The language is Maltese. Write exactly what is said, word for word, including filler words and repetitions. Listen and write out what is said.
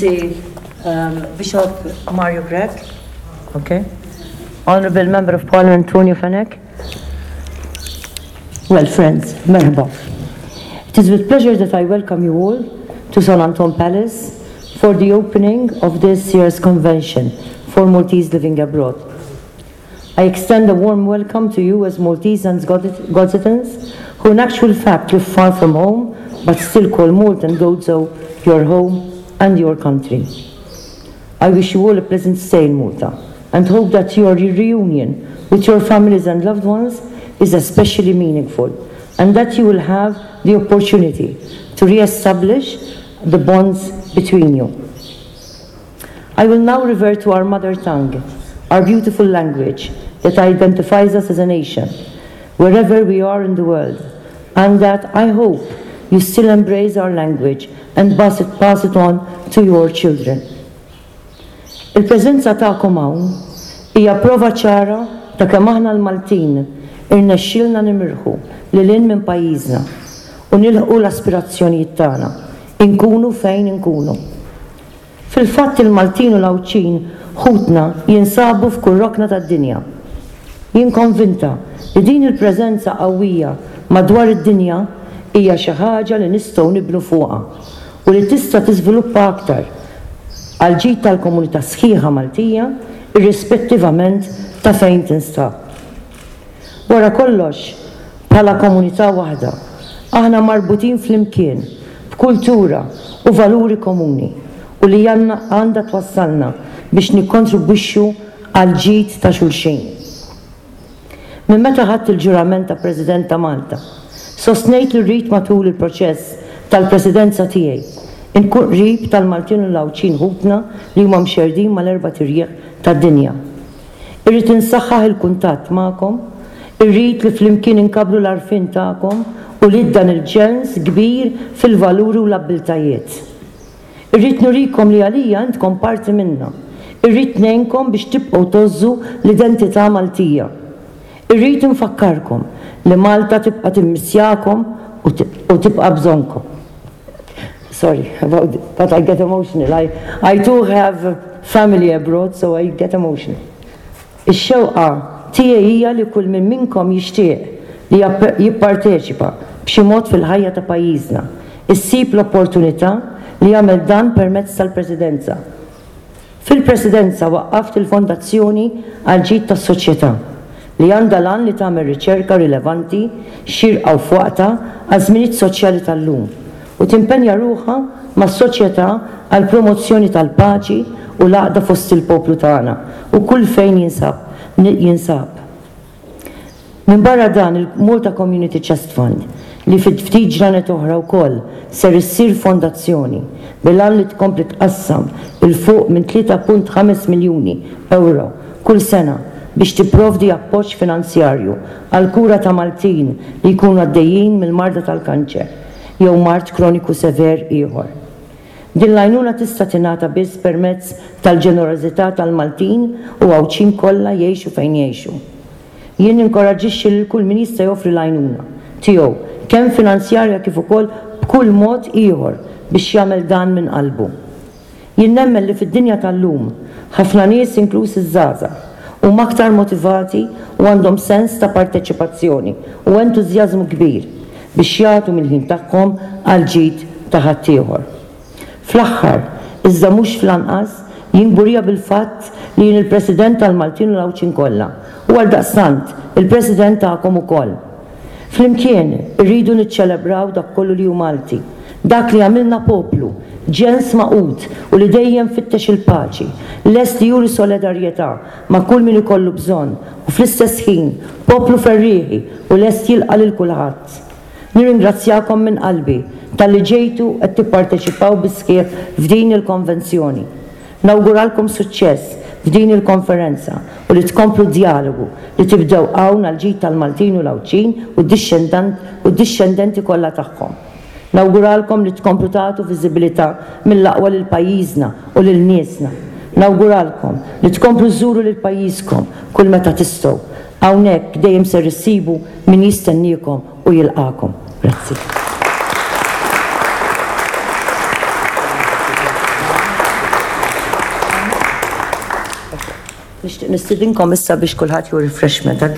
Excellency um, Bishop Mario Grech, okay. Honorable Member of Parliament Tonio Fenech. Well, friends, merħba. It is with pleasure that I welcome you all to San Anton Palace for the opening of this year's convention for Maltese living abroad. I extend a warm welcome to you as Maltese and Gozitans who in actual fact live far from home but still call Malta and Gozo your home and your country. I wish you all a pleasant stay in Malta and hope that your reunion with your families and loved ones is especially meaningful and that you will have the opportunity to re-establish the bonds between you. I will now revert to our mother tongue, our beautiful language that identifies us as a nation, wherever we are in the world, and that I hope you still embrace our language and pass it, pass it on to your children. Il-preżenza tagħkom hawn hija prova ċara ta' kemm aħna l-Maltin irnexxielna nimirħu lil hinn minn pajjiżna u nilħqu l-aspirazzjonijiet tagħna, inkunu fejn inkunu. Fil-fatt il-Maltin u l-Għawdxin ħutna jinsabu f'kull rokna tad-dinja. Jien konvinta li din il-preżenza qawwija madwar id-dinja hija xi ħaġa li nistgħu nibnu fuqha u li tista' tiżviluppa aktar għal ġid tal-komunità sħiħa Maltija irrispettivament ta' fejn tinstab. Wara kollox, bħala komunità waħda, aħna marbutin flimkien b'kultura u valuri komuni u li għandha twassalna biex nikkontribwixxu għal ġid ta' xulxin. Minn meta ħadt il-ġurament ta' President ta' Malta, sostnejt li rrid matul il-proċess tal-presidenza tiegħi inkun qrib tal-Maltin u l-Għawdxin ħutna li huma mxerdin mal-erbat irjieħ tad-dinja. Irrid insaħħaħ il-kuntatt magħkom, irrid li flimkien inkabbru l-għarfien tagħkom u li dan il-ġens kbir fil-valuri u l-abbiltajiet. Irrid nurikom li għalija intkom parti minna. Irrid ngħinkom biex tibqgħu tgħożżu l-identità Maltija. Irrid nfakkarkom li Malta tibqa' timmissjakom u tibqa' bżonnkom. Sorry about but I get emotional. I, I too have family abroad, so I get emotional. Ix-xewqa tiegħi hija li kull min minnkom jixtieq li jipparteċipa b'xi mod fil-ħajja ta' pajjiżna, issib l-opportunità li jagħmel dan permezz tal-Presidenza. Fil-Presidenza waqqaft il-Fondazzjoni għal ġid tas-Soċjetà li għandha l-għan li tagħmel riċerka rilevanti, xirqa u f'waqtha għaż-żminijiet soċjali tal-lum u timpenja ruħha mas-soċjetà għal promozzjoni tal-paċi u l-għaqda fost il-poplu tagħna u kull fejn jinsab jinsab. Minn barra dan il-Malta Community Chest Fund li fi ftit ġranet oħra wkoll ser issir fondazzjoni bil-għan li tkompli tqassam 'il fuq minn tlieta punt ħames miljuni euro kull sena biex tipprovdi appoġġ finanzjarju għal kura ta' Maltin li jkunu għaddejjin mill-marda tal-kanċer jew mard kroniku sever ieħor. Din l-għajnuna tista' tingħata biss permezz tal-ġenerożità tal-Maltin u Għawdxin kollha, jgħixu fejn jgħixu. Jien ninkoraġġixxi lil kull min jista' joffri l-għajnuna tiegħu, kemm finanzjarja kif ukoll b'kull mod ieħor, biex jagħmel dan minn qalbu. Jien nemmen li fid-dinja tal-lum ħafna nies, inkluż iż-żgħażagħ, huma aktar motivati u għandhom sens ta' parteċipazzjoni u entużjażmu kbir biex jagħtu mill-ħin tagħhom għal ġid ta' ħaddieħor. Fl-aħħar, iżda mhux fl-anqas, jien kburija bil-fatt li jien il-President tal-Maltin u l-Għawdxin kollha u għaldaqstant il-President tagħkom ukoll. Flimkien irridu niċċelebraw dak kollu li hu Malti, dak li għamilna poplu, ġens magħqud u li dejjem fittex il-paċi, lest li juri solidarjetà ma' kull min ikollu bżonn u fl-istess ħin poplu ferrieħi u lest jilqa' lil kulħadd. Nirringrazzjakom minn qalbi talli ġejtu qed tipparteċipaw bis-sħiħ f'din il-konvenzjoni. Nawguralkom suċċess f'din il-konferenza u li tkomplu djalogu li tibdew hawn għal ġid tal-Maltin u l-Għawdxin u d-dixxendenti kollha tagħhom. Nawguralkom li tkomplu tagħtu viżibilità mill-aqwa lil pajjiżna u lil niesna. Nawguralkom li tkomplu żżuru lil pajjiżkom kull meta tistgħu. Hawnhekk dejjem ser issibu min jistenniekom u jilqakom. Grazzi. Nixtieq nistidinkom issa biex kulħadd jieħu refreshment. I'd like